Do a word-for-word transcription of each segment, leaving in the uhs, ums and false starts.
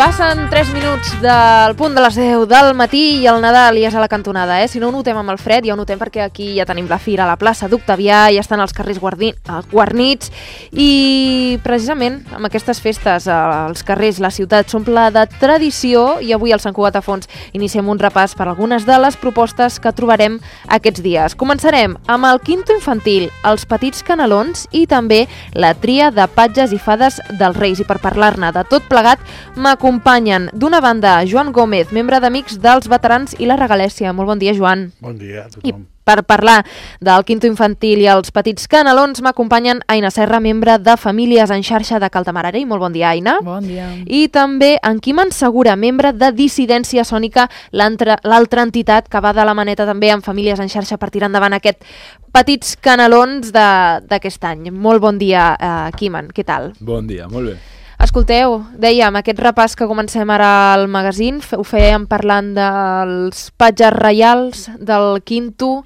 Passen tres minuts del punt de les deu del matí i el Nadal ja és a la cantonada, eh? Si no ho notem amb el fred, ja ho notem perquè aquí ja tenim la fira a la plaça d'Octavià, ja estan els carrers guardi... guarnits i precisament amb aquestes festes els carrers, la ciutat s'omple de tradició i avui al Sant Cugat a Fons iniciem un repàs per algunes de les propostes que trobarem aquests dies. Començarem amb el quinto infantil, els petits canelons i també la tria de patges i fades dels Reis. I per parlar-ne de tot plegat m'acompanyen d'una banda Joan Gómez, membre d'Amics dels Veterans i la Regalèssia. Molt bon dia, Joan. Bon dia a tothom. I per parlar del quinto infantil i els petits canelons m'acompanyen Aina Serra, membre de Famílies en Xarxa de Caltamararell. Molt bon dia, Aina. Bon dia. I també en Quim Ensegura, membre de Dissidència Sònica, l'altra entitat que va de la maneta també amb Famílies en Xarxa per tirar endavant aquest petits canelons d'aquest any. Molt bon dia, eh, Quimen. Què tal? Bon dia, molt bé. Escolteu, dèiem, aquest repàs que comencem ara al magazín, ho fèiem parlant dels patges reials, del quinto.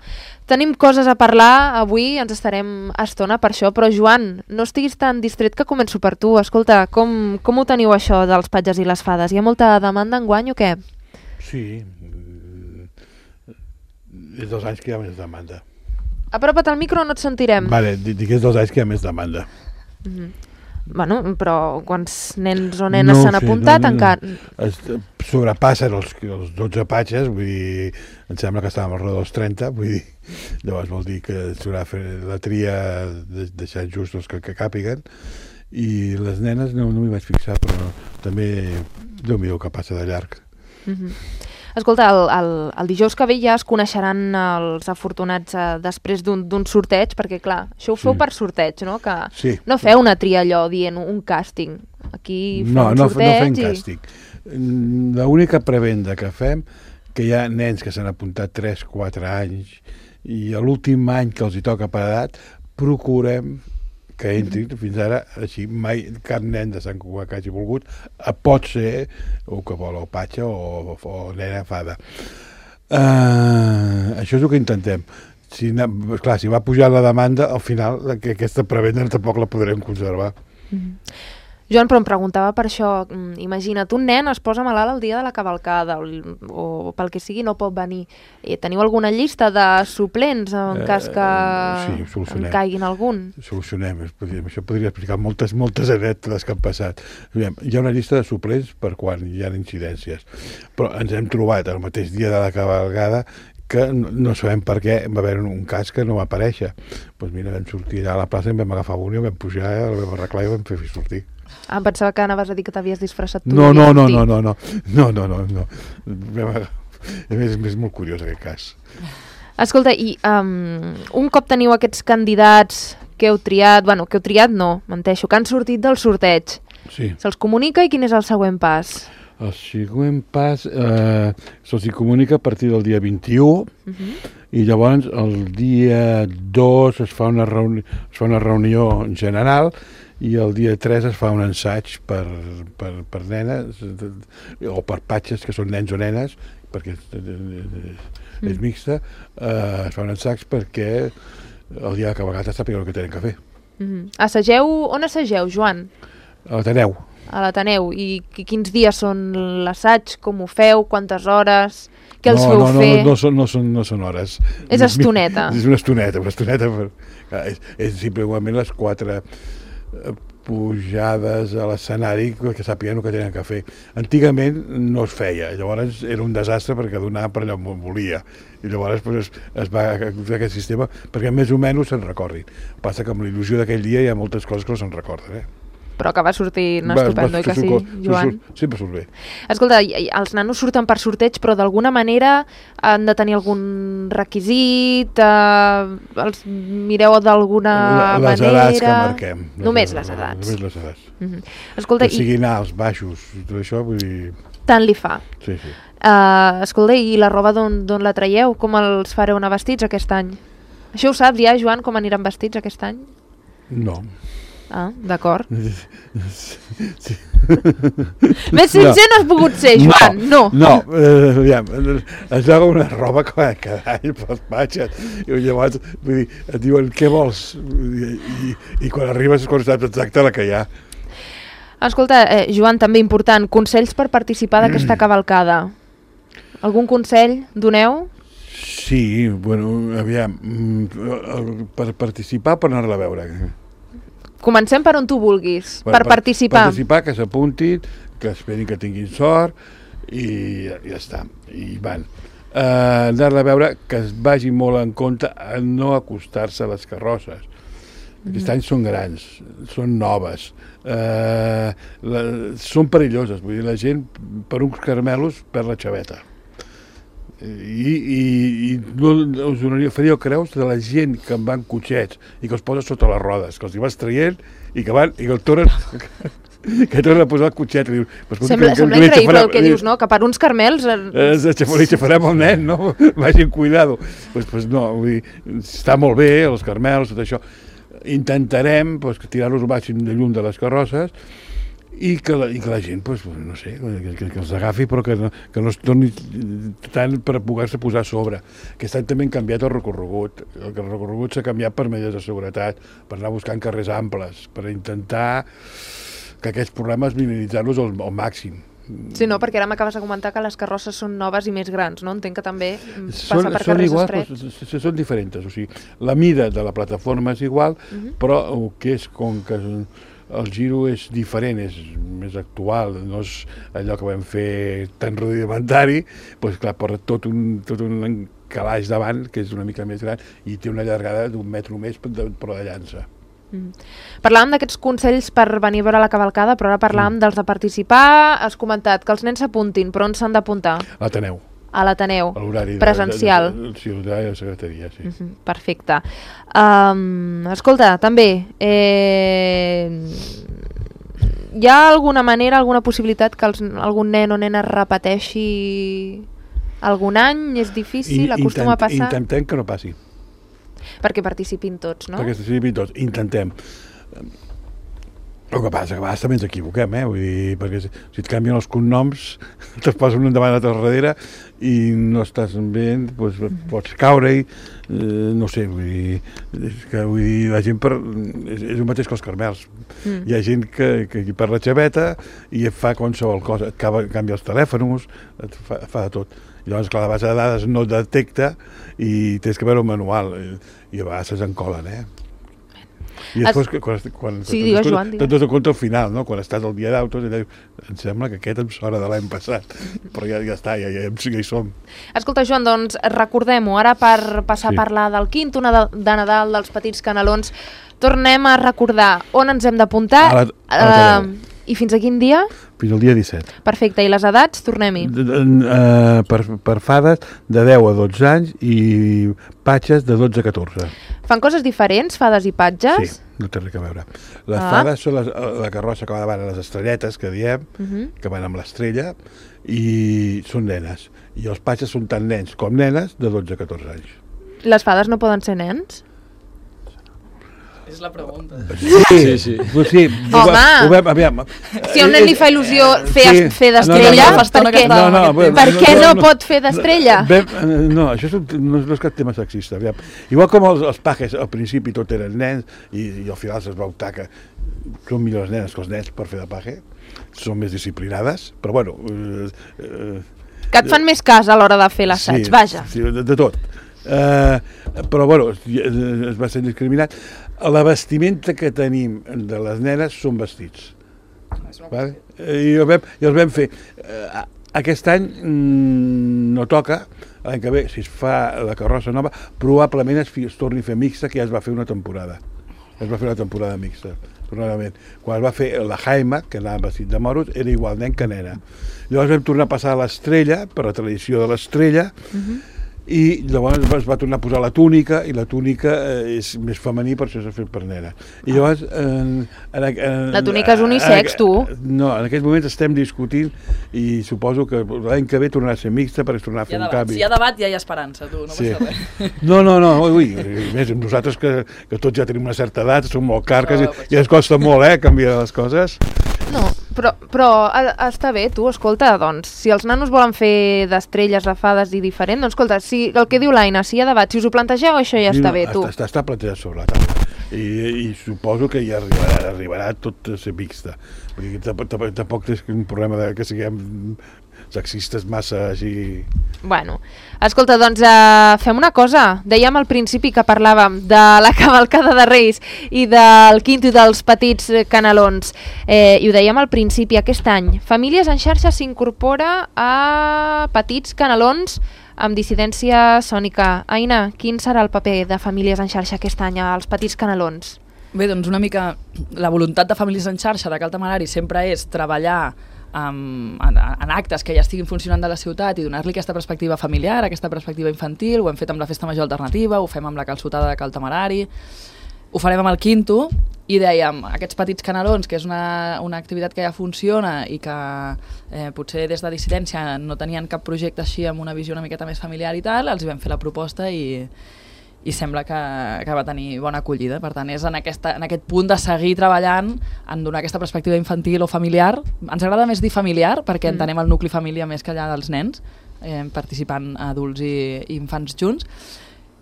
Tenim coses a parlar avui, ens estarem estona per això, però Joan, no estiguis tan distret que començo per tu. Escolta, com, com ho teniu això dels patges i les fades? Hi ha molta demanda enguany o què? Sí, és dos anys que hi ha més demanda. Apropa't al micro o no et sentirem. Vale, dic que és dos anys que hi ha més demanda. Mm-hmm. Bueno, però quants nens o nenes no, s'han sí, apuntat no, no, encara? Es sobrepassen els, els dotze patges, vull dir, em sembla que estàvem al dels trenta, vull dir, llavors vol dir que s'haurà fer la tria de, deixant just els que, que càpiguen, i les nenes no, no m'hi vaig fixar, però també Déu-m'hi-do que passa de llarg. Mm-hmm. Escolta, el, el, el dijous que ve ja es coneixeran els afortunats eh, després d'un sorteig, perquè clar, això ho feu sí. per sorteig, no? Que sí. No feu una tria allò dient un càsting. Aquí fem no, un no, sorteig. No fem i... càsting. L'única prebenda que fem, que hi ha nens que s'han apuntat tres quatre anys i a l'últim any que els hi toca per edat, procurem que entrin, mm-hmm. fins ara així mai cap nen de Sant Cugat que hagi volgut pot ser o que vol o patxa o, o nena fada. Uh, això és el que intentem. Si, clar, si va pujar la demanda, al final que aquesta prebenda tampoc la podrem conservar. Mm-hmm. Joan, però em preguntava per això, imagina't, un nen es posa malalt el dia de la cavalcada o, o pel que sigui no pot venir. Eh, teniu alguna llista de suplents en eh, cas que sí, en caiguin algun? Solucionem, això podria explicar moltes, moltes anècdotes que han passat. Hi ha una llista de suplents per quan hi ha incidències, però ens hem trobat el mateix dia de la cavalgada que no sabem per què va haver un cas que no va aparèixer. Doncs mira, vam sortir allà a la plaça, en vam agafar un i el vam pujar, el vam arreglar i el vam fer sortir. Ah, em pensava que anaves a dir que t'havies disfressat tu. No, no, no, no, no, no, no, no, no, no. És, és molt curiós aquest cas. Escolta, i um, un cop teniu aquests candidats que heu triat, bueno, que heu triat no, menteixo, que han sortit del sorteig, sí. Se'ls comunica i quin és el següent pas? El següent pas eh, se'ls comunica a partir del dia vint-i-u uh-huh. i llavors el dia dos es fa una reunió, es fa una reunió general i el dia tres es fa un ensaig per, per, per nenes o per patges que són nens o nenes perquè és, és mixta, eh, es fa un ensaig perquè el dia de cavalcada sàpiguen el que tenen que fer. Mm-hmm. Assageu, on assageu, Joan? A l'Ateneu. A l'Ateneu. I quins dies són l'assaig? Com ho feu? Quantes hores? Què els no, feu no, no, fer? No, no, són, no, són, no són hores. És estoneta. És una estoneta, una estoneta. Per, és, és simplement les quatre pujades a l'escenari que sàpiguen el que tenen que fer. Antigament no es feia, llavors era un desastre perquè donava per allà on volia i llavors pues, es, es va fer aquest sistema perquè més o menys se'n recordin. Passa que amb l'il·lusió d'aquell dia hi ha moltes coses que no se'n recorden, eh? Però acaba sortint estupendo, oi que sí, Joan? Sempre surt bé. Escolta, els nanos surten per sorteig, però d'alguna manera han de tenir algun requisit? Eh, els mireu d'alguna manera? Les edats que marquem. Només les edats. Només les edats. Mm-hmm. Escolta, que siguin alts, baixos, i tot això, vull dir... Tant li fa. Sí, sí. Uh, escolta, i la roba d'on la traieu? Com els fareu anar vestits aquest any? Això ho saps ja, Joan, com aniran vestits aquest any? No. Ah, d'acord. Sí. Més sincer no has pogut ser, Joan, no. No, no eh, aviam, es veu una roba cada, cada any pels patxes, i llavors, vull dir, et diuen, què vols? I, i, i quan arribes és quan saps exacte la que hi ha. Escolta, eh, Joan, també important, consells per participar d'aquesta cavalcada. Algun consell doneu? Sí, bueno, aviam, per participar, per anar-la a veure. Comencem per on tu vulguis, bueno, per, per participar. Participar, que s'apuntin, que esperin que tinguin sort, i ja, ja està, i van. Uh, Anar-la a veure, que es vagi molt en compte a no acostar-se a les carrosses. Mm. Aquest any són grans, són noves, uh, la, són perilloses, vull dir, la gent per uns carmelos perd la xaveta. I, i, i no us donaria, faríeu creus de la gent que en van cotxets i que els posa sota les rodes, que els hi vas traient i que van i que el tornen que tornen a posar el cotxet. Diu, sembla que, sembla que increïble el que dius, no? Que per uns carmels... Eh, li xafarem el nen, no? Vagin cuidado. Pues, pues no, vull dir, està molt bé, els carmels, tot això. Intentarem pues, tirar-los el màxim de llum de les carrosses i que la, i que la gent, pues, no sé, que, que, que els agafi, però que no, que no es torni tant per poder-se posar a sobre. Aquest any també han canviat el recorregut. El recorregut s'ha canviat per mesures de seguretat, per anar buscant carrers amples, per intentar que aquests problemes minimitzar-los al, al màxim. Sí, no, perquè ara m'acabes de comentar que les carrosses són noves i més grans, no? Entenc que també passa són, per són carrers iguals, estrets. Però són diferents, o sigui, la mida de la plataforma és igual, uh-huh. però el que és com que el giro és diferent, és més actual, no és allò que vam fer tan rudimentari, doncs clar, porta tot un, tot un calaix davant, que és una mica més gran, i té una llargada d'un metro més, però de llança. Mm. Parlàvem d'aquests consells per venir a veure la cavalcada, però ara parlàvem mm. dels de participar. Has comentat que els nens s'apuntin, però on s'han d'apuntar? A l'Ateneu. A l'Ateneu, presencial. De, de, de, sí, l'horari de la secretaria, sí. Uh-huh, perfecte. Um, escolta, també, eh, hi ha alguna manera, alguna possibilitat que els, algun nen o nena repeteixi algun any? És difícil? I, acostuma intent, a passar? Intentem que no passi. Perquè participin tots, no? Perquè participin tots, intentem. El que passa que a vegades també ens equivoquem, eh? Vull dir, perquè si, si et canvien els cognoms, te'ls posen un davant l'altre darrere i no estàs bé, doncs pots caure-hi, eh, no sé, vull dir, és que, vull dir, la gent per, és, és el mateix que els carmels. Mm. Hi ha gent que, que perd la xaveta i et fa qualsevol cosa, et canvia els telèfons, et fa, fa de tot. Llavors, clar, la base de dades no detecta i tens que veure un manual i a vegades s'encolen, eh? I després, es... quan, quan, sí, quan digues, Joan, te'n dones compte al final, no? Quan estàs al dia d'autos, em sembla que aquest em sona de l'any passat, però ja, ja està, ja, ja, ja hi som. Escolta, Joan, doncs recordem-ho, ara per passar sí. a parlar del quinto de Nadal, dels petits canelons, tornem a recordar on ens hem d'apuntar uh, i fins a quin dia? Fins al dia disset. Perfecte, i les edats? Tornem-hi. Uh, per, per fades de deu a dotze anys i patges de dotze a catorze. Fan coses diferents, fades i patges? Sí, no té res a veure. Les ah. fades són les, la carrossa que va davant, les estrelletes, que diem, uh-huh. que van amb l'estrella, i són nenes. I els patges són tant nens com nenes de dotze a catorze anys. Les fades no poden ser nens? És la pregunta. Sí, sí. sí. Pues sí home, ho vam, aviam. Si a un nen li fa il·lusió fer, sí. fer d'estrella, no, no, no, per què no, no, no, per què no, no, no pot fer d'estrella? No, això és un, no, no és cap tema sexista. Aviam. Igual com els, els pajes al principi tot eren nens i, i al final es va optar que són millors nenes que els nens per fer de paje, són més disciplinades, però bueno... Eh, eh, que et fan més cas a l'hora de fer l'assaig, sí, vaja. Sí, de, de tot. Uh, però bueno, es va ser discriminat. La vestimenta que tenim de les nenes són vestits, vale? I, el vam, i els vam fer uh, aquest any mm, no toca, l'any que ve si es fa la carrossa nova probablement es, es torni a fer mixta, que ja es va fer una temporada es va fer una temporada mixta, afortunadament. Quan es va fer la Jaime, que anava vestit de moros, era igual nen que nena. Llavors vam tornar a passar a l'Estrella, per la tradició de l'Estrella, uh-huh. i llavors es va tornar a posar la túnica, i la túnica eh, és més femení, per això s'ha fet per nena. I llavors... En, en, en, la túnica és unisex, tu? No, en aquests moments estem discutint i suposo que l'any que ve tornarà a ser mixta perquè es tornarà a fer un canvi. Si hi ha debat, ja hi ha esperança, tu, no sí. passa res. No, no, no, ui, més nosaltres que, que tots ja tenim una certa edat, som molt carques i, i ens costa molt, eh, canviar les coses. No, però, però està bé, tu, escolta, doncs, si els nanos volen fer d'estrelles, de fades i diferent, doncs escolta, si el que diu l'Aina, si hi ha debat, si us ho plantegeu, això ja sí, està no, bé, tu. Està, està plantejat sobre la taula. I, i suposo que ja arribarà, arribarà tot a ser mixta. Vull dir, tampoc, tampoc és un problema de que siguem sexistes massa així... Bueno, escolta, doncs uh, fem una cosa. Dèiem al principi que parlàvem de la cavalcada de Reis i del quinto i dels petits canelons. Eh, I ho dèiem al principi, aquest any. Famílies en xarxa s'incorpora a petits canelons amb dissidència sònica. Aina, quin serà el paper de Famílies en xarxa aquest any als petits canelons? Bé, doncs una mica la voluntat de Famílies en xarxa de Cal Tamarari sempre és treballar Um, en, en actes que ja estiguin funcionant de la ciutat i donar-li aquesta perspectiva familiar, aquesta perspectiva infantil. Ho hem fet amb la Festa Major Alternativa, ho fem amb la calçotada de Cal Tamarari, ho farem amb el Quinto, i dèiem, aquests petits canelons, que és una, una activitat que ja funciona i que eh, potser des de dissidència no tenien cap projecte així amb una visió una miqueta més familiar i tal, els hi vam fer la proposta i i sembla que, que va tenir bona acollida. Per tant, és en, aquesta, en aquest punt de seguir treballant en donar aquesta perspectiva infantil o familiar. Ens agrada més dir familiar perquè mm. entenem el nucli família més que allà dels nens, eh, participant adults i, i infants junts.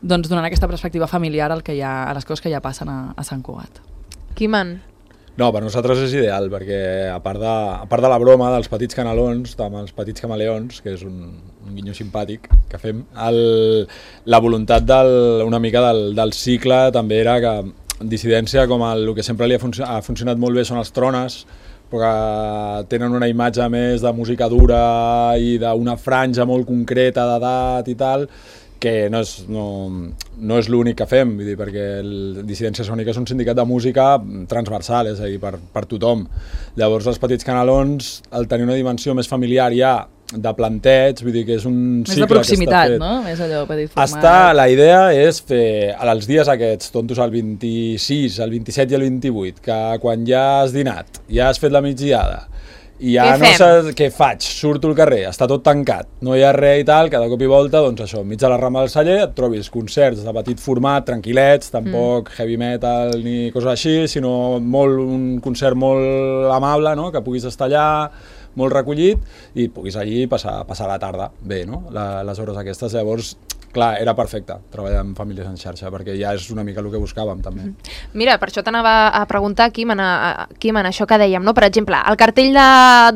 Doncs donant aquesta perspectiva familiar al que hi ha, a les coses que ja passen a, a Sant Cugat. Quiman? No, per nosaltres és ideal, perquè a part de, a part de la broma dels petits canelons, amb els petits camaleons, que és un, un guinyo simpàtic que fem, el, la voluntat del, una mica del, del cicle també era que dissidència, com el, el que sempre li ha, func ha funcionat molt bé són els trones, però que tenen una imatge més de música dura i d'una franja molt concreta d'edat i tal, que no és, no, no és l'únic que fem, vull dir, perquè el Dissidència Sònica és un sindicat de música transversal, és a dir, per, per tothom. Llavors els petits canelons, al tenir una dimensió més familiar ja de planteig, vull dir que és un més cicle de proximitat, que està fet. No? Més allò petit format. Està, la idea és fer els dies aquests, tontos, el vint-i-sis, el vint-i-set i el vint-i-vuit, que quan ja has dinat, ja has fet la migdiada, i ja no sé què faig, surto al carrer, està tot tancat, no hi ha res i tal, cada cop i volta, doncs això, enmig de la rama del celler et trobis concerts de petit format, tranquil·lets, tampoc mm. heavy metal ni coses així, sinó molt, un concert molt amable, no?, que puguis estar allà, molt recollit, i puguis allí passar, passar la tarda bé, no?, la, les hores aquestes. Llavors, clar, era perfecte treballar amb Famílies en xarxa, perquè ja és una mica el que buscàvem, també. Mira, per això t'anava a preguntar, Quiman, Quiman, això que dèiem, no? Per exemple, el cartell de,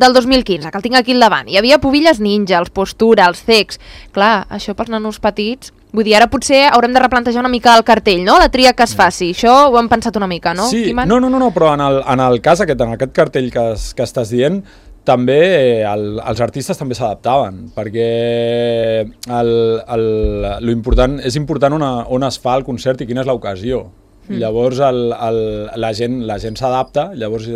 del dos mil quinze, que el tinc aquí al davant, hi havia Pubilles Ninja, els Postura, els Cecs. Clar, això pels nanos petits, vull dir, ara potser haurem de replantejar una mica el cartell, no?, la tria que es faci. Això ho hem pensat una mica, no, sí, Quiman? No, no, no, no, però en el, en el cas aquest, en aquest cartell que, es, que estàs dient, també el, els artistes també s'adaptaven, perquè el, el, lo important, és important on, on es fa el concert i quina és l'ocasió. Mm. Llavors el, el, la gent la gent s'adapta, llavors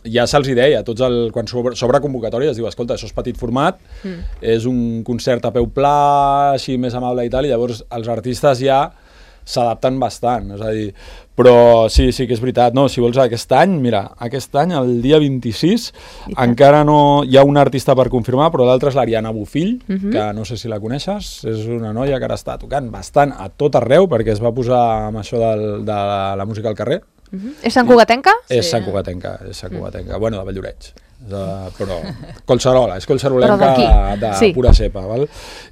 ja se'ls deia, tots el, quan s'obre convocatòria es diu, escolta, això és petit format, mm. és un concert a peu pla, així més amable i tal, i llavors els artistes ja s'adapten bastant, és a dir, però sí, sí que és veritat, no, si vols aquest any, mira, aquest any, el dia vint-i-sis, encara no hi ha un artista per confirmar, però l'altre és l'Ariana Bofill, uh-huh. que no sé si la coneixes, és una noia que ara està tocant bastant a tot arreu, perquè es va posar amb això del, de la, la música al carrer. Uh-huh. És Sant Cugatenca? És sí. Sant Cugatenca, és Sant Cugatenca, uh-huh. bueno, de Valldoreix. De, però Collserola, és collserolenca de, de sí. pura cepa, val?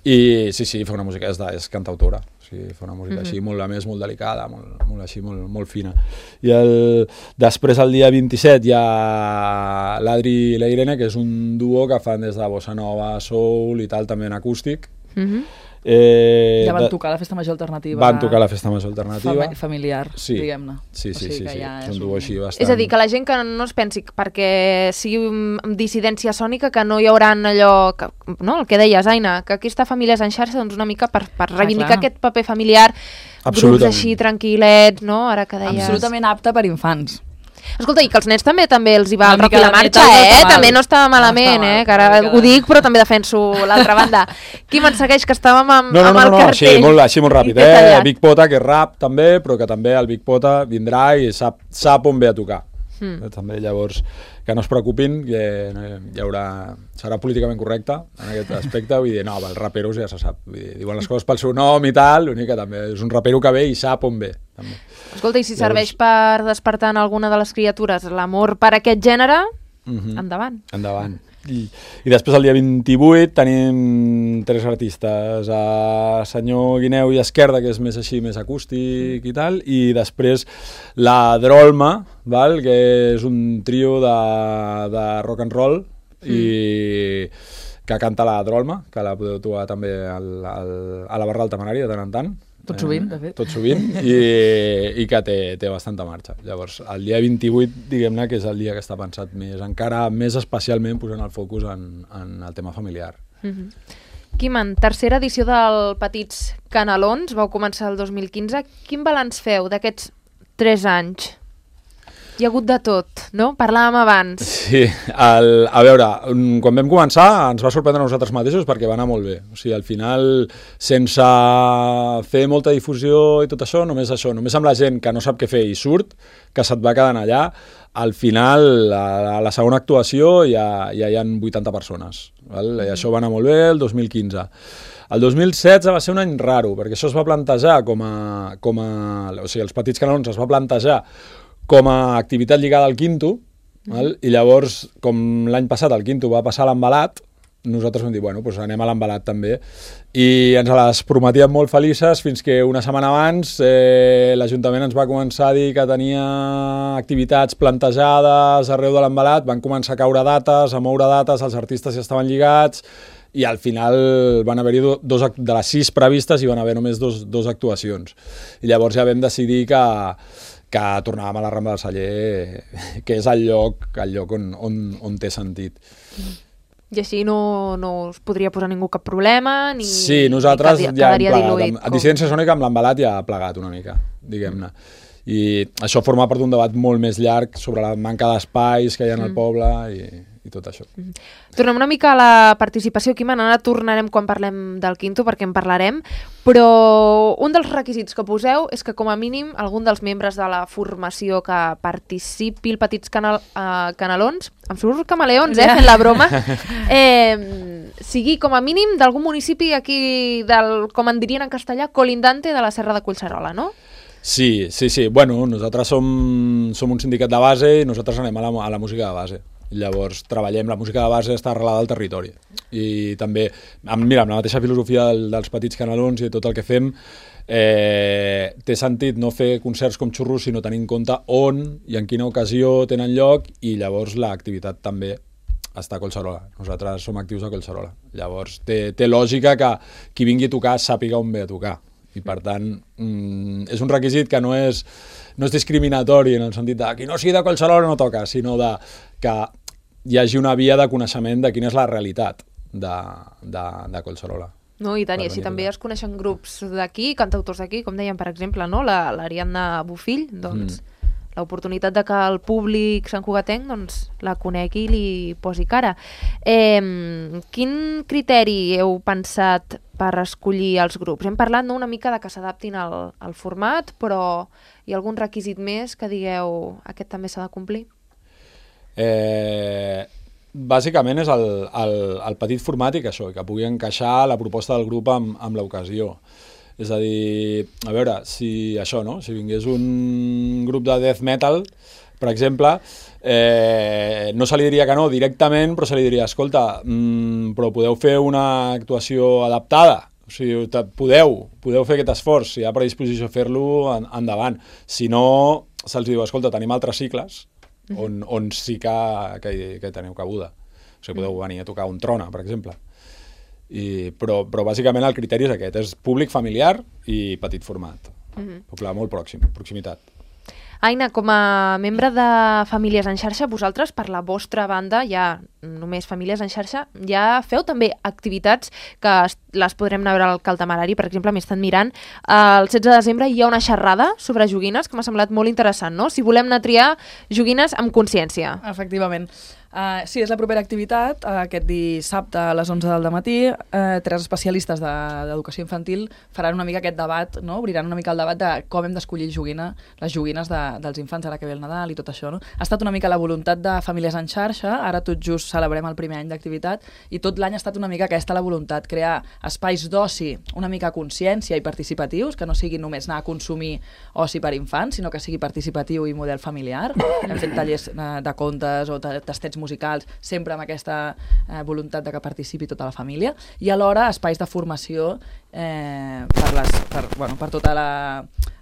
I sí, sí, fa una música, és, de, és cantautora, sí, fa una música mm-hmm. així, molt, a més, molt delicada, molt, molt així, molt, molt fina. I el, després, el dia vint-i-set, hi ha l'Adri i la Irene, que és un duo que fan des de bossa nova, soul i tal, també en acústic. Mm-hmm. Eh, ja van de, tocar la Festa Major Alternativa. Van tocar la Festa Major Alternativa. Fam sí. familiar, diguem-ne. Sí, sí, o sigui sí, sí, ja sí. És un duo així bastant... És a dir, que la gent que no es pensi perquè sigui dissidència sònica, que no hi haurà allò, que, no, el que deies, Aina, que aquesta família és en xarxa, doncs una mica per, per reivindicar ah, aquest paper familiar, grups així tranquil·lets, no? Ara que deies... Absolutament apte per infants. Escolta, i que els nens també també els hi va Una el rock mica i la de marxa, metal no eh? està mal. També no estava malament, No està mal, eh? Que ara una mica ho de- dic, però també defenso l'altra banda. Qui me'n segueix, que estàvem amb, No, no, amb no, el no, cartell. així molt, així molt ràpid, I t'he eh? tallat. Big Pota, que és rap també, però que també el Big Pota vindrà i sap, sap on ve a tocar. Mm. També llavors, que no es preocupin, que no hi haurà, serà políticament correcte en aquest aspecte, vull dir, no, els raperos ja se sap, vull dir, diuen les coses pel seu nom i tal, l'únic que també és un rapero que ve i sap on ve. També. Escolta, i si serveix per despertar en alguna de les criatures l'amor per aquest gènere, Mhm. endavant. Endavant. I, I després el dia vint-i-vuit tenim tres artistes, a Senyor Guineu i Esquerda, que és més així, més acústic i tal, i després la Drolma, val? Que és un trio de, de rock and roll i que canta la Drolma, que la podeu trobar també al, al, a la barra del Temerari de tant en tant. Tot sovint, de fet. Tot sovint, i, i que té, té bastanta marxa. Llavors, el dia vint-i-vuit, diguem-ne, que és el dia que està pensat més, encara més especialment posant el focus en, en el tema familiar. Mm-hmm. Quiman, tercera edició del Petits Canelons, vau començar el dos mil quinze. Quin balanç feu d'aquests tres anys? Hi ha hagut de tot, no? Parlàvem abans. Sí, el, a veure, mm, quan vam començar ens va sorprendre a nosaltres mateixos perquè va anar molt bé. O sigui, al final, sense fer molta difusió i tot això, només això, només amb la gent que no sap què fer i surt, que se't va quedant allà, al final, a la segona actuació ja, ja hi ha vuitanta persones. Val? I això va anar molt bé el dos mil quinze. El dos mil setze va ser un any raro, perquè això es va plantejar com a... Com a o sigui, els Petits Canelons es va plantejar com a activitat lligada al Quinto, val? I llavors, com l'any passat el Quinto va passar a l'embalat, nosaltres vam dir, bueno, doncs anem a l'embalat també, i ens les prometíem molt felices fins que una setmana abans eh, l'Ajuntament ens va començar a dir que tenia activitats plantejades arreu de l'embalat, van començar a caure dates, a moure dates, els artistes ja estaven lligats, i al final van haver-hi do, dos, de les sis previstes i van haver només dos, dos actuacions. I llavors ja vam decidir que que tornàvem a la Rambla del Celler, que és el lloc, el lloc on, on, on té sentit. I així no, no us podria posar ningú cap problema? Ni, sí, nosaltres ni ja hem quedaria plegat. diluït, A Dissidència Sònica amb l'embalat ja ha plegat una mica, diguem-ne. I això forma part d'un debat molt més llarg sobre la manca d'espais que hi ha en el Mm. poble i, i tot això. Mm. Tornem una mica a la participació, Quiman, ara tornarem quan parlem del Quinto, perquè en parlarem, però un dels requisits que poseu és que com a mínim algun dels membres de la formació que participi al Petits Canal, uh, Canelons, em surt camaleons, eh, fent la broma, eh, sigui com a mínim d'algun municipi aquí, del, com en dirien en castellà, colindante de la Serra de Collserola, no? Sí, sí, sí. Bueno, nosaltres som, som un sindicat de base i nosaltres anem a la, a la música de base. Llavors treballem, la música de base està arrelada al territori. I també, amb, mira, amb la mateixa filosofia del, dels Petits Canelons i de tot el que fem, eh, té sentit no fer concerts com xurros, sinó tenir en compte on i en quina ocasió tenen lloc, i llavors l'activitat també està a Collserola. Nosaltres som actius a Collserola. Llavors té, té lògica que qui vingui a tocar sàpiga on ve a tocar. I per tant, mm, és un requisit que no és, no és discriminatori en el sentit de qui no sigui de Collserola no toca, sinó de que hi hagi una via de coneixement de quina és la realitat de, de, de Collserola. No, i tant, i Per així venir a també tocar. es coneixen grups d'aquí, cantautors d'aquí, com deien, per exemple, no? La- l'Ariadna Bofill, doncs mm. l'oportunitat de que el públic santcugatenc doncs, la conegui i li posi cara. Eh, quin criteri heu pensat per escollir els grups? Hem parlat, no, una mica de que s'adaptin al, al format, però hi ha algun requisit més que digueu aquest també s'ha de complir? Eh, bàsicament és el, el, el petit format i que això, que pugui encaixar la proposta del grup amb, amb l'ocasió. És a dir, a veure, si això, no? Si vingués un grup de death metal, per exemple, eh, no se li diria que no directament, però se li diria, escolta, mmm, però podeu fer una actuació adaptada? O sigui, podeu, podeu fer aquest esforç, si hi ha predisposició a fer-lo, en, endavant. Si no, se'ls diu, escolta, tenim altres cicles on, on sí que, que, que teniu cabuda. O sigui, podeu venir a tocar un Trona, per exemple. I, però, però bàsicament el criteri és aquest, és públic familiar i petit format. Mm-hmm. Poble molt pròxim, proximitat. Aina, com a membre de Famílies en Xarxa, vosaltres, per la vostra banda, ja només Famílies en Xarxa, ja feu també activitats que les podrem anar a veure al Caltamarari. Per exemple, m'he estat mirant, el setze de desembre hi ha una xerrada sobre joguines que m'ha semblat molt interessant, no? Si volem anar a triar joguines amb consciència. Efectivament. Uh, sí, és la propera activitat, uh, aquest dissabte a les onze del dematí. Uh, tres especialistes d'educació de, infantil faran una mica aquest debat, no? Obriran una mica el debat de com hem d'escollir joguina, les joguines de, dels infants ara que ve el Nadal i tot això. No? Ha estat una mica la voluntat de Famílies en Xarxa, ara tot just celebrem el primer any d'activitat i tot l'any ha estat una mica aquesta la voluntat, crear espais d'oci una mica consciència i participatius, que no sigui només anar a consumir oci per infants, sinó que sigui participatiu i model familiar. Hem fet tallers uh, de contes o tastets musicals, sempre amb aquesta eh, voluntat de que participi tota la família, i alhora espais de formació eh, per, les, per, bueno, per tota la...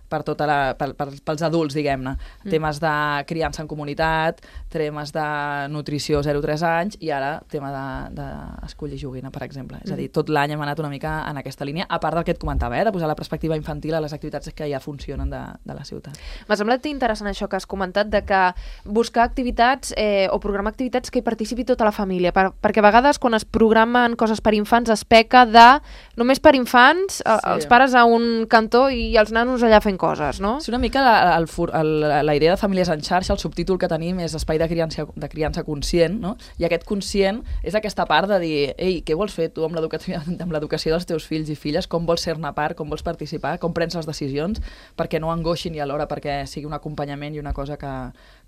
per tota la, per, per, pels adults, diguem-ne. Mm. Temes de criança en comunitat, temes de nutrició zero a tres anys i ara tema d'escollir de, de joguina, per exemple. Mm. És a dir, tot l'any hem anat una mica en aquesta línia, a part del que et comentava, eh, de posar la perspectiva infantil a les activitats que ja funcionen de, de la ciutat. M'ha semblat interessant això que has comentat, de que buscar activitats eh, o programar activitats que hi participi tota la família, per, perquè a vegades quan es programen coses per infants es peca de només per infants, sí. els pares a un cantó i els nanos allà fent coses, no? És una mica la, el, el, la idea de Famílies en Xarxa, el subtítol que tenim és espai de criança, de criança conscient, no? I aquest conscient és aquesta part de dir, ei, què vols fer tu amb l'educació dels teus fills i filles, com vols ser-ne part, com vols participar, com prens les decisions, perquè no angoixin i alhora perquè sigui un acompanyament i una cosa que,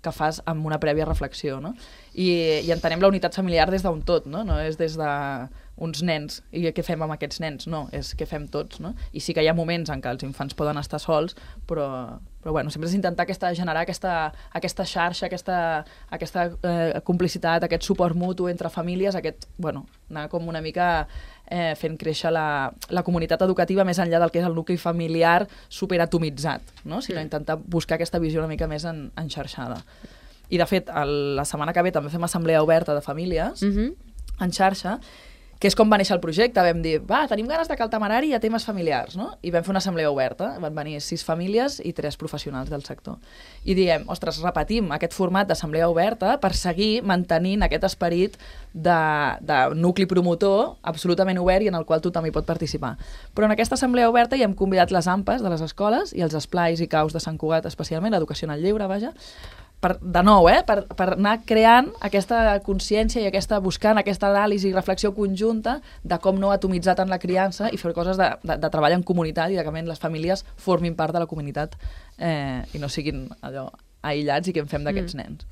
que fas amb una prèvia reflexió, no? I, i entenem la unitat familiar des d'un tot, no? No és des de uns nens, i què fem amb aquests nens? No, és què fem tots, no? I sí que hi ha moments en què els infants poden estar sols, però, però bueno, sempre és intentar aquesta, generar aquesta, aquesta xarxa, aquesta, aquesta eh, complicitat, aquest suport mutu entre famílies, aquest, bueno, anar com una mica eh, fent créixer la, la comunitat educativa més enllà del que és el nucli familiar superatomitzat, no? Sinó intentar buscar aquesta visió una mica més en, enxarxada. I de fet, el, la setmana que ve també fem assemblea oberta de famílies mm-hmm. en xarxa, que és com va néixer el projecte. Vam dir, va, tenim ganes de Caltamarari a temes familiars, no? I vam fer una assemblea oberta, van venir sis famílies i tres professionals del sector. I diem, ostres, repetim aquest format d'assemblea oberta per seguir mantenint aquest esperit de, de nucli promotor absolutament obert i en el qual tothom hi pot participar. Però en aquesta assemblea oberta hi hem convidat les AMPAs de les escoles i els esplais i caus de Sant Cugat, especialment, l'educació en el lleure, vaja, per, de nou, eh, per, per anar creant aquesta consciència i aquesta, buscant aquesta anàlisi i reflexió conjunta de com no atomitzar tant la criança i fer coses de, de, de treball en comunitat i de que les famílies formin part de la comunitat eh, i no siguin allò aïllats i què en fem d'aquests mm. nens.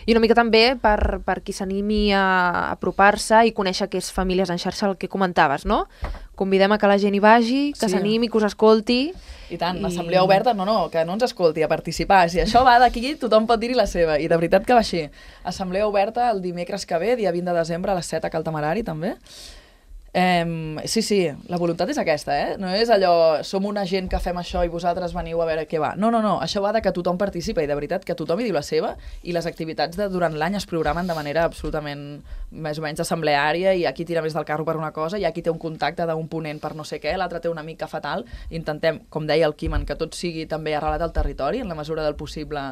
I una mica també per, per qui s'animi a apropar-se i conèixer que és Famílies en Xarxa, el que comentaves, no? Convidem a que la gent hi vagi, que s'animi, sí. que us escolti. I tant, I... assemblea oberta, no, no, que no ens escolti, a participar. Si això va d'aquí, tothom pot dir-hi la seva. I de veritat que va així. Assemblea oberta el dimecres que ve, dia vint de desembre, a les set a Caltamarari, també. Um, sí, sí, la voluntat és aquesta, eh? No és allò, som una gent que fem això i vosaltres veniu a veure què va. No, no, no, això va de que tothom participa i de veritat que tothom hi diu la seva i les activitats de, durant l'any es programen de manera absolutament més o menys assembleària i aquí tira més del carro per una cosa i aquí té un contacte d'un ponent per no sé què, l'altre té un amic que fa tal. Intentem, com deia el Quimen, que tot sigui també arrelat al territori en la mesura del possible,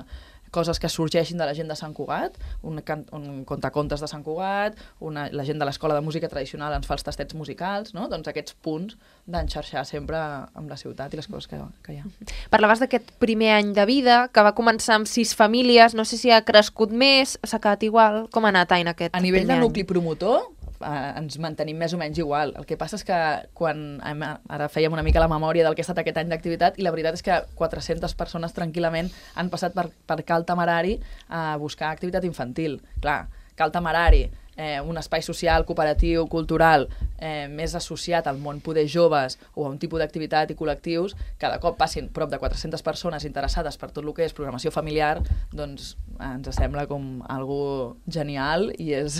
coses que sorgeixin de la gent de Sant Cugat, un, un contacontes de Sant Cugat, una, la gent de l'Escola de Música Tradicional ens fa els tastets musicals, no? Doncs aquests punts d'enxarxar sempre amb la ciutat i les coses que, que hi ha. Parlaves d'aquest primer any de vida, que va començar amb sis famílies, no sé si ha crescut més, s'ha quedat igual, com ha anat en aquest A nivell primer de any? nucli promotor, eh, ens mantenim més o menys igual. El que passa és que quan hem, ara fèiem una mica la memòria del que ha estat aquest any d'activitat i la veritat és que quatre-centes persones tranquil·lament han passat per, per Caltamarari a buscar activitat infantil. Clar, Caltamarari, eh, un espai social, cooperatiu, cultural, eh, més associat al món poder joves o a un tipus d'activitat i col·lectius, cada cop passin prop de quatre-centes persones interessades per tot el que és programació familiar, doncs ens sembla com algo genial i és,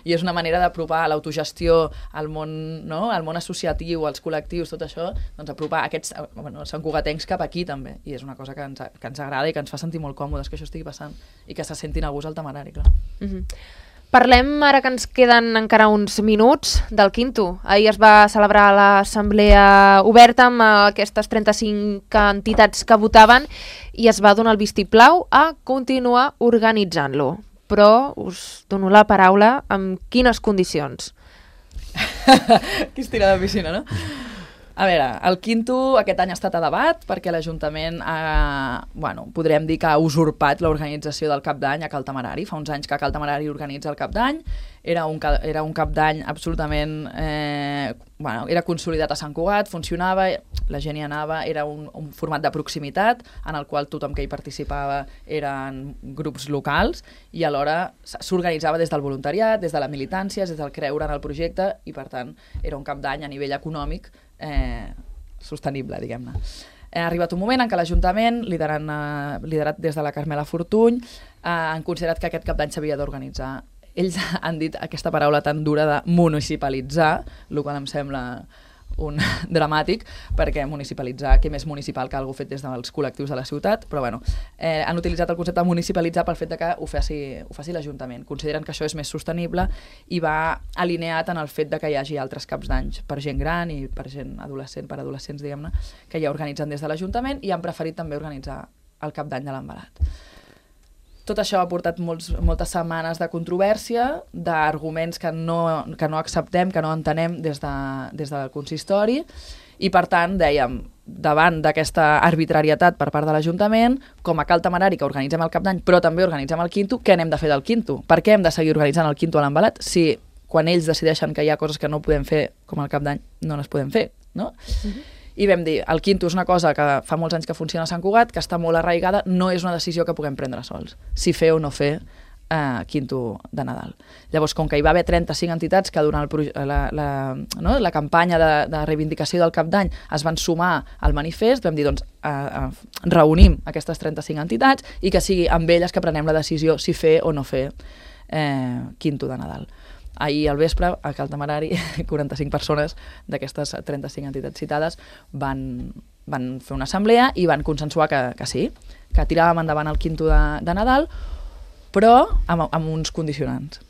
i és una manera d'apropar l'autogestió al món, no? Al món associatiu, als col·lectius, tot això, doncs apropar aquests bueno, santcugatencs cap aquí també, i és una cosa que ens, que ens agrada i que ens fa sentir molt còmodes que això estigui passant i que se sentin a gust al Tamarari, clar. Mm-hmm. Parlem, ara que ens queden encara uns minuts, del Quinto. Ahir es va celebrar l'assemblea oberta amb aquestes trenta-cinc entitats que votaven i es va donar el vistiplau a continuar organitzant-lo. Però us dono la paraula amb quines condicions. Qui es tira de piscina, no? A veure, el Quinto aquest any ha estat a debat perquè l'Ajuntament ha, bueno, podríem dir que ha usurpat l'organització del Cap d'Any a Cal Temerari. Fa uns anys que Cal Temerari organitza el Cap d'Any, era un, era un Cap d'Any absolutament, eh, bueno, era consolidat a Sant Cugat, funcionava, la gent hi anava, era un, un format de proximitat en el qual tothom que hi participava eren grups locals i alhora s'organitzava des del voluntariat, des de la militància, des del creure en el projecte i per tant era un Cap d'Any a nivell econòmic Eh, sostenible, diguem-ne. Ha arribat un moment en què l'Ajuntament, liderat, eh, liderat des de la Carmela Fortuny, eh, han considerat que aquest Cap d'Any s'havia d'organitzar. Ells han dit aquesta paraula tan dura de municipalitzar, el qual em sembla un dramàtic, perquè municipalitzar, què més municipal que algú fet des dels col·lectius de la ciutat, però bueno, eh, han utilitzat el concepte de municipalitzar pel fet de que ho faci, ho faci l'Ajuntament. Consideren que això és més sostenible i va alineat en el fet de que hi hagi altres caps d'anys per gent gran i per gent adolescent, per adolescents, diguem-ne, que ja organitzen des de l'Ajuntament i han preferit també organitzar el Cap d'Any de l'Envelat. Tot això ha portat molts, moltes setmanes de controvèrsia, d'arguments que no, que no acceptem, que no entenem des, de, des del consistori, i per tant, dèiem, davant d'aquesta arbitrarietat per part de l'Ajuntament, com a Cal Temerari, que organitzem el Cap d'Any, però també organitzem el Quinto, què n'hem de fer del Quinto? Per què hem de seguir organitzant el Quinto a l'Envelat si quan ells decideixen que hi ha coses que no podem fer, com el Cap d'Any, no les podem fer, no? Uh-huh. I vam dir, el Quinto és una cosa que fa molts anys que funciona a Sant Cugat, que està molt arraigada, no és una decisió que puguem prendre sols, si fer o no fer eh, Quinto de Nadal. Llavors, com que hi va haver trenta-cinc entitats que durant el, la, la, no, la campanya de, de reivindicació del Cap d'Any es van sumar al manifest, vam dir, doncs, eh, eh, reunim aquestes trenta-cinc entitats i que sigui amb elles que prenem la decisió si fer o no fer eh, Quinto de Nadal. Ahir al vespre, a Cal Temerari, quaranta-cinc persones d'aquestes trenta-cinc entitats citades van, van fer una assemblea i van consensuar que, que sí, que tiràvem endavant el Quinto de, de Nadal, però amb, amb uns condicionants.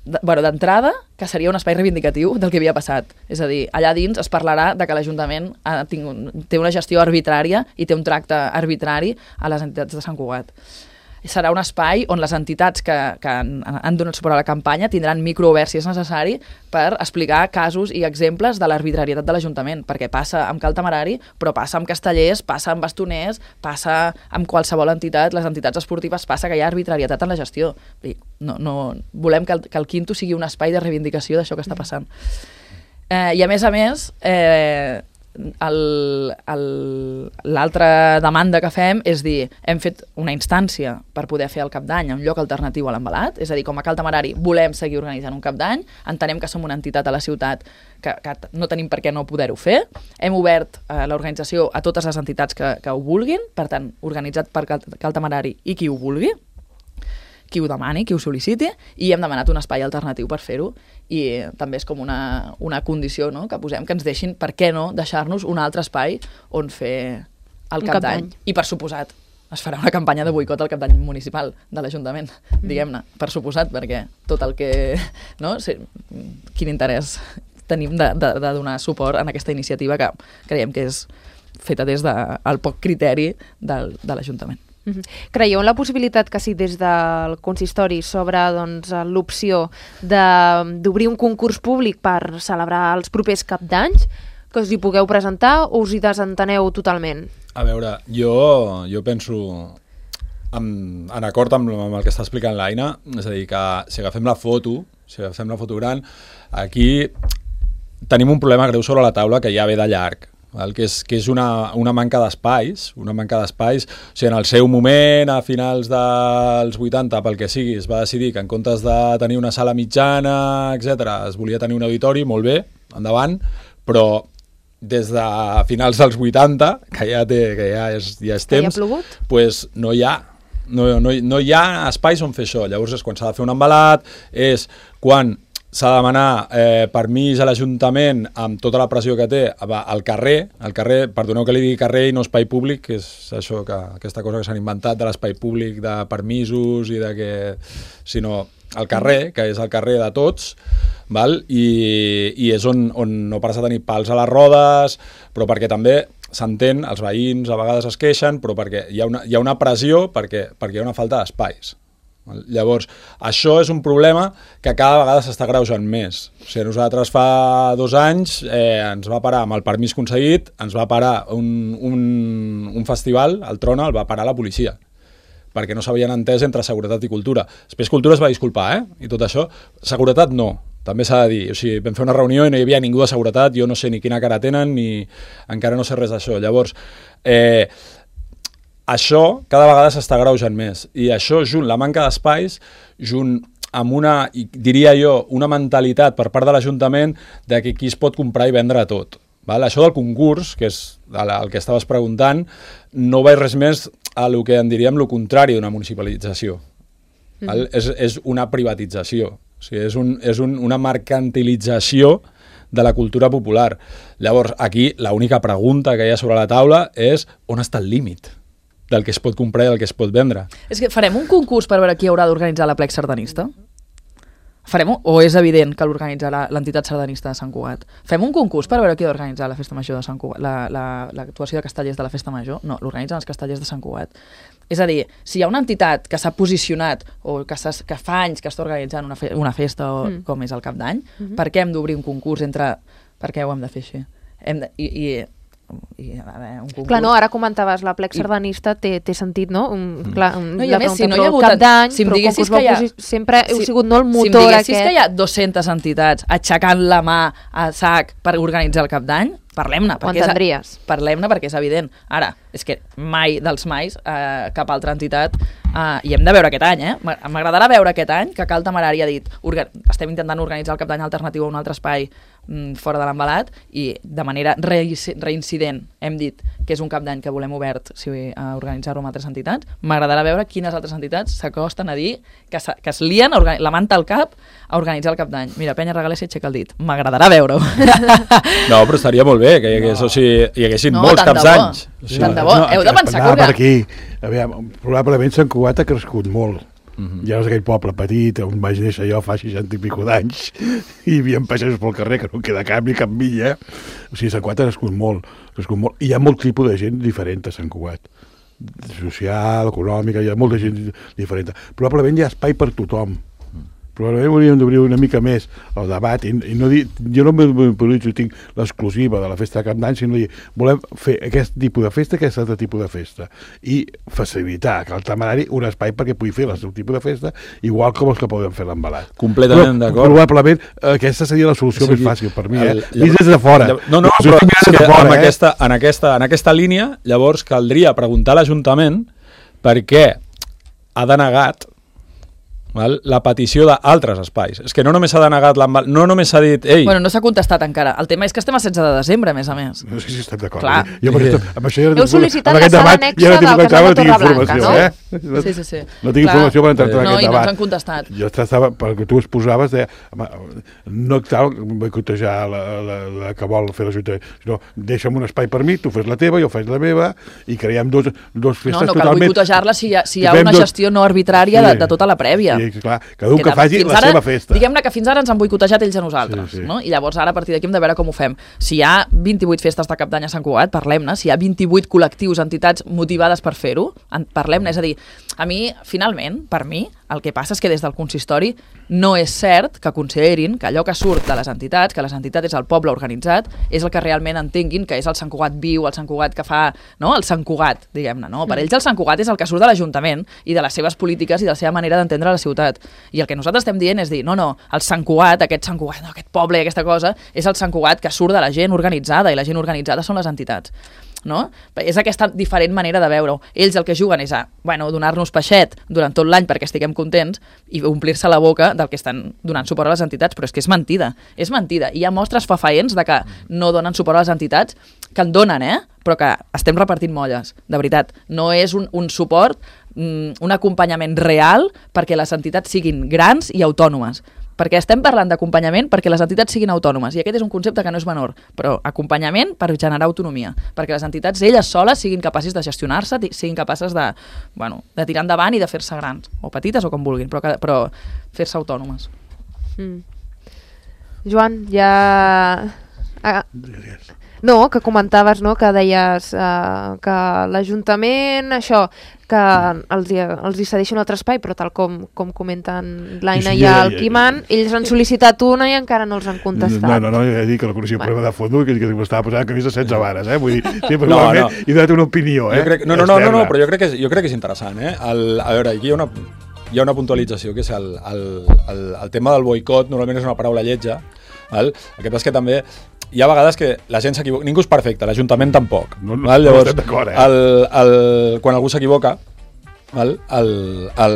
De, bueno, d'entrada, que seria un espai reivindicatiu del que havia passat. És a dir, allà dins es parlarà de que l'Ajuntament ha tingut, té una gestió arbitrària i té un tracte arbitrari a les entitats de Sant Cugat. Serà un espai on les entitats que, que han, han donat suport a la campanya tindran microoberts, si és necessari, per explicar casos i exemples de l'arbitrarietat de l'Ajuntament, perquè passa amb Cal Temerari, però passa amb Castellers, passa amb Bastoners, passa amb qualsevol entitat, les entitats esportives, passa que hi ha arbitrarietat en la gestió. No, no, volem que el, que el Quinto sigui un espai de reivindicació d'això que està passant. Eh, I a més a més, eh, l'altra demanda que fem és dir, hem fet una instància per poder fer el Cap d'Any en lloc alternatiu a l'Envelat, és a dir, com a Cal Temerari volem seguir organitzant un Cap d'Any, entenem que som una entitat a la ciutat que, que no tenim per què no poder-ho fer, hem obert eh, l'organització a totes les entitats que, que ho vulguin, per tant, organitzat per Cal, Cal Temerari i qui ho vulgui, qui ho demani, qui ho sol·liciti, i hem demanat un espai alternatiu per fer-ho, i també és com una, una condició, no?, que posem, que ens deixin, per què no, deixar-nos un altre espai on fer el Cap d'Any. I per suposat, es farà una campanya de boicot al Cap d'Any municipal de l'Ajuntament, mm. diguem-ne, per suposat, perquè tot el que... no? Sí, quin interès tenim de, de, de donar suport en aquesta iniciativa que creiem que és feta des del de, poc criteri del, de l'Ajuntament. Creieu en la possibilitat que si des del consistori s'obre doncs, l'opció d'obrir un concurs públic per celebrar els propers cap d'anys, que us hi pugueu presentar o us hi desenteneu totalment? A veure, jo, jo penso en, en acord amb, amb el que està explicant l'Aina, és a dir, que si agafem la foto, si agafem la foto gran, aquí tenim un problema greu sobre la taula que ja ve de llarg. El que és, que és una, una manca d'espais, una manca d'espais, o sigui, en el seu moment, a finals dels vuitanta, pel que sigui, es va decidir que en comptes de tenir una sala mitjana, etcètera, es volia tenir un auditori, molt bé, endavant, però des de finals dels vuitanta, que ja, té, que ja, és, ja és temps, pues no hi ha, no, no, no hi ha espais on fer això. Llavors és quan s'ha de fer un embalat, és quan s'ha de demanar eh, permís a l'Ajuntament amb tota la pressió que té al carrer, al carrer, perdoneu que li digui carrer i no espai públic, que és això que, aquesta cosa que s'han inventat de l'espai públic, de permisos i de que, sinó al carrer, que és el carrer de tots, val? I, i és on, on no pares a tenir pals a les rodes, però perquè també s'entén, els veïns a vegades es queixen, però perquè hi ha una, hi ha una pressió perquè, perquè hi ha una falta d'espais. Llavors, això és un problema que cada vegada s'està greujant més. O sigui, nosaltres fa dos anys eh, ens va parar, amb el permís concedit, ens va parar un, un, un festival, el Trona, el va parar la policia, perquè no s'havien entès entre seguretat i cultura. Després cultura es va disculpar, eh? I tot això. Seguretat no, també s'ha de dir. O sigui, vam fer una reunió i no hi havia ningú de seguretat, jo no sé ni quina cara tenen, ni encara no sé res d'això. Llavors, eh, això cada vegada s'està greujant més, i això junt, la manca d'espais, junt amb una, diria jo, una mentalitat per part de l'Ajuntament de que aquí es pot comprar i vendre tot. Val? Això del concurs, que és el que estaves preguntant, no va res més a lo que en diríem lo contrari d'una municipalització. Val? Mm. És, és una privatització, o sigui, és, un, és un, una mercantilització de la cultura popular. Llavors, aquí l'única pregunta que hi ha sobre la taula és on està el límit del que es pot comprar i del que es pot vendre. És que farem un concurs per veure qui haurà d'organitzar la plec sardanista? Farem un... O és evident que l'organitzarà l'entitat sardanista de Sant Cugat? Fem un concurs per veure qui ha d'organitzar la festa major de Sant Cugat, l'actuació la, la, de castellers de la festa major? No, l'organitzen els castellers de Sant Cugat. És a dir, si hi ha una entitat que s'ha posicionat o que, que fa anys que està organitzant una, fe, una festa o, mm. com és el Cap d'Any, mm -hmm. per què hem d'obrir un concurs entre... Per què ho hem de fer així? Hem de... I, i I, a veure, un concurs. Clar, no, ara comentaves, la plec sardanista té, té sentit, no? Un, mm. clar, un, no, i a més, si no hi ha hagut Cap d'Any, si però concurs que ha, sempre heu si, sigut no el motor si em diguessis aquest. que hi ha dues-centes entitats aixecant la mà a sac per organitzar el Cap d'Any, parlem-ne. Ho entendries. Parlem-ne perquè és evident. Ara, és que mai dels mais eh, cap altra entitat eh, i hem de veure aquest any, eh? M'agradarà veure aquest any que Cal Temerari ha dit estem intentant organitzar el Cap d'Any alternatiu a un altre espai fora de l'embalat i de manera reincident hem dit que és un Cap d'Any que volem obert si a organitzar-ho amb altres entitats. M'agradarà veure quines altres entitats s'acosten a dir que, que es lien la manta al cap a organitzar el Cap d'Any. Mira, Penya Regalés aixeca el dit. M'agradarà veure-ho. No, però estaria molt bé que hi, hagués, no. o sigui, hi haguessin no, molts caps d'anys. O sigui, tant de bo. No, heu de pensar que... Per aquí. Aviam, probablement Sant Cugat ha crescut molt. Uh-huh. Ja és aquell poble petit on vaig néixer jo fa seixanta i pico d'anys i hi havia pagesos pel carrer que no queda cap ni cap milla. O sigui, Sant Cugat ha crescut molt, ha crescut molt. I hi ha molt tipus de gent diferent a Sant Cugat. Social, econòmica, hi ha molta gent diferent. Probablement hi ha espai per tothom. Probablement hauríem d'obrir una mica més el debat i, i no dir, jo no m'improviso tinc l'exclusiva de la festa de Cap d'Any, sinó dir, volem fer aquest tipus de festa, aquest altre tipus de festa i facilitar que el Temerari un espai perquè pugui fer el seu tipus de festa igual com els que poden fer l'embalat. Completament d'acord. Probablement aquesta seria la solució o sigui, més fàcil per mi, el, eh? Vist des de fora. No, no, però és que fora, en, eh? aquesta, en, aquesta, en aquesta línia llavors caldria preguntar a l'Ajuntament per què ha denegat val? La petició d'altres espais. És que no només s'ha denegat l'embalat, no només s'ha dit... Ei. Bueno, no s'ha contestat encara. El tema és que estem a setze de desembre, a més a més. No sé si estem d'acord. Clar. Jo per això, amb això ja heu sol·licitat la sala anexa del Casal de Torreblanca, no? Eh? Sí, sí, sí. No tinc Clar. informació per entrar en no, aquest debat. No, i no ens han contestat. Jo estava, perquè tu exposaves, deia, home, no cal boicotejar la, la, la que vol fer l'Ajuntament, sinó deixa'm un espai per mi, tu fes la teva, jo faig la meva, i creiem dos, dos festes totalment... No, no cal boicotejar-la si hi ha, si hi ha una dos... gestió no arbitrària sí, de, de tota la prèvia. Sí, clar, cada un que faci la ara, seva festa. Diguem-ne que fins ara ens han boicotejat ells a nosaltres, sí, sí. no? I llavors ara a partir d'aquí hem de veure com ho fem. Si hi ha vint-i-vuit festes de Cap d'Any a Sant Cugat, parlem-ne. Si hi ha vint-i-vuit col·lectius, entitats motivades per fer-ho, parlem-ne. És a dir, a mi, finalment, per mi, el que passa és que des del consistori no és cert que considerin que allò que surt de les entitats, que les entitats és el poble organitzat, és el que realment entenguin que és el Sant Cugat viu, el Sant Cugat que fa, no? El Sant Cugat, diguem-ne, no? Per ells el Sant Cugat és el que surt de l'Ajuntament i de les seves polítiques i de la seva manera d'entendre la ciutat. I el que nosaltres estem dient és dir, no, no, el Sant Cugat, aquest Sant Cugat, no, aquest poble, aquesta cosa, és el Sant Cugat que surt de la gent organitzada, i la gent organitzada són les entitats. No? És aquesta diferent manera de veure-ho. Ells el que juguen és a bueno, donar-nos peixet durant tot l'any perquè estiguem contents i omplir-se la boca del que estan donant suport a les entitats, però és que és mentida, és mentida. I hi ha mostres fafaents de que no donen suport a les entitats, que en donen, eh? Però que estem repartint molles, de veritat. No és un, un suport, un acompanyament real perquè les entitats siguin grans i autònomes. perquè estem parlant d'acompanyament perquè les entitats siguin autònomes, i aquest és un concepte que no és menor, però acompanyament per generar autonomia, perquè les entitats elles soles siguin capaces de gestionar-se, siguin capaces de, bueno, de tirar endavant i de fer-se grans, o petites o com vulguin, però, però fer-se autònomes. Mm. Joan, ja... Ah. No, que comentaves, no?, que deies uh, que l'Ajuntament, això, que els, els hi cedeixen un altre espai, però tal com, com comenten l'Aina sí, sí, i el ja, Quiman, ja, ja. ells han sol·licitat una i encara no els han contestat. No, no, no, ja he dit que no coneixia un bueno. problema de fons, que, que m'estava posant camisa setze vares, eh? Vull dir, sí, no, no. he donat una opinió, eh? Crec, no, no, no, no, no, però jo crec que és, jo crec que és interessant, eh? El, a veure, aquí hi ha una, hi ha una puntualització, que és el, el, el, el tema del boicot, normalment és una paraula lletja, val? El que passa és que també hi ha vegades que la gent s'equivoca, ningú és perfecte, l'Ajuntament tampoc. No, no, Llavors, no estem d'acord, eh? El, el, quan algú s'equivoca, el, el, el,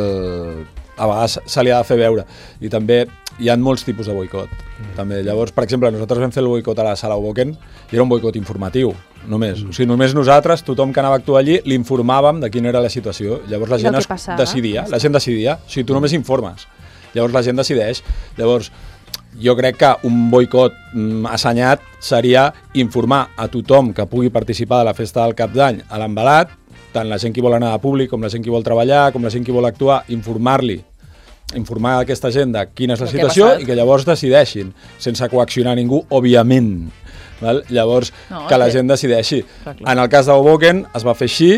a vegades se li ha de fer veure. I també hi ha molts tipus de boicot. Mm. També. Llavors, per exemple, nosaltres vam fer el boicot a la sala Hoboken i era un boicot informatiu, només. Mm. O sigui, només nosaltres, tothom que anava a actuar allí, l'informàvem de quina era la situació. Llavors la gent es decidia, la gent decidia. O sigui, tu només informes. Llavors la gent decideix. Llavors, jo crec que un boicot mm, assenyat seria informar a tothom que pugui participar de la festa del Cap d'Any a l'embalat, tant la gent que vol anar a públic, com la gent que vol treballar, com la gent que vol actuar, informar-li, informar a aquesta gent de quina és la situació i que llavors decideixin, sense coaccionar ningú, òbviament. Val? Llavors, no, que la gent decideixi. Clar, clar. En el cas d'Hoboken es va fer així,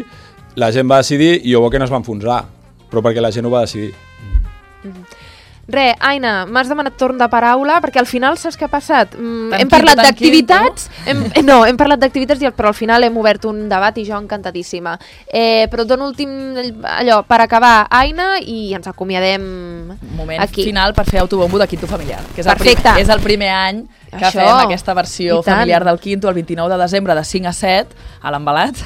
la gent va decidir i Hoboken es va enfonsar, però perquè la gent ho va decidir. Mm-hmm. Re, Aina, m'has demanat torn de paraula perquè al final saps què ha passat? Mm, hem parlat d'activitats, hem, no, hem parlat d'activitats però al final hem obert un debat i jo encantadíssima. Eh, però et dono últim allò per acabar, Aina, i ens acomiadem Moment aquí. Final per fer autobombo de Quinto Familiar, que és el, Perfecte. Primer, és el primer any que Això. fem aquesta versió familiar del Quinto el vint-i-nou de desembre de cinc a set a l'Embalat.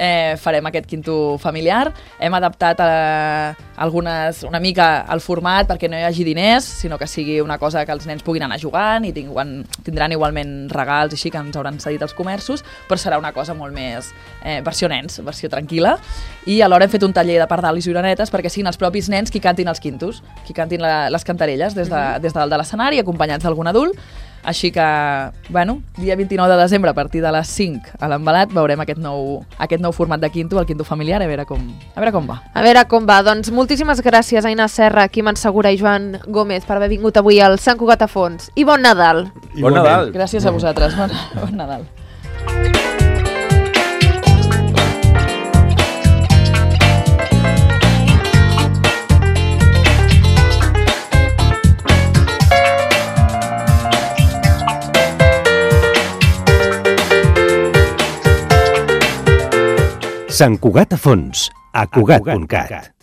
Eh, farem aquest Quinto Familiar. Hem adaptat a, algunes, una mica el format perquè no hi hagi diners, sinó que sigui una cosa que els nens puguin anar jugant i tinguen, tindran igualment regals així que ens hauran cedit els comerços, però serà una cosa molt més eh, versió nens, versió tranquil·la. I alhora hem fet un taller de pardalis i oranetes perquè siguin els propis nens qui cantin els quintos, qui cantin la, les cantarelles des de, mm-hmm. des de dalt de l'escenari, acompanyats d'algun adult. Així que, bueno, dia vint-i-nou de desembre a partir de les cinc a l'Embalat veurem aquest nou, aquest nou format de Quinto, el Quinto Familiar, a veure com, a veure com va. A veure com va. Doncs moltíssimes gràcies, Aina Serra, Quiman Segura i Joan Gómez, per haver vingut avui al Sant Cugat a Fons. I bon Nadal! I bon Nadal! Gràcies a vosaltres. Bon, bon Nadal. Sant Cugat a Fons, a cugat punt cat.